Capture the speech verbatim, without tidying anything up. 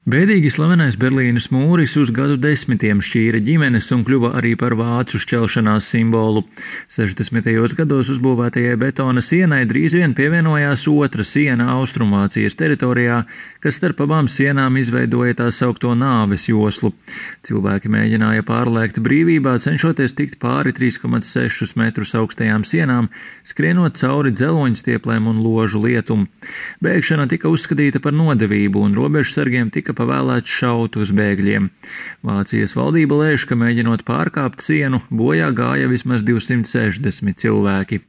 Bēdīgi slavenais Berlīnes mūris uz gadu desmitiem šķīra ģimenes un kļuva arī par vācu šķelšanās simbolu. sešdesmitajos gados uzbūvētajai betona sienai drīz vien pievienojās otra siena Austrumvācijas teritorijā, kas starp abām sienām izveidoja tā saukto nāves joslu. Cilvēki mēģināja pārlēkt brīvībā, cenšoties tikt pāri trīs komats sešus metrus augstajām sienām, skrienot cauri dzeloņstieplēm un ložu lietumu. Bēgšana tika uzskatīta par nodevību un robežsargiem tika pavēlēts šaut uz bēgļiem. Vācijas valdība lēš, ka mēģinot pārkāpt sienu, bojā gāja vismaz divsimt sešdesmit cilvēki.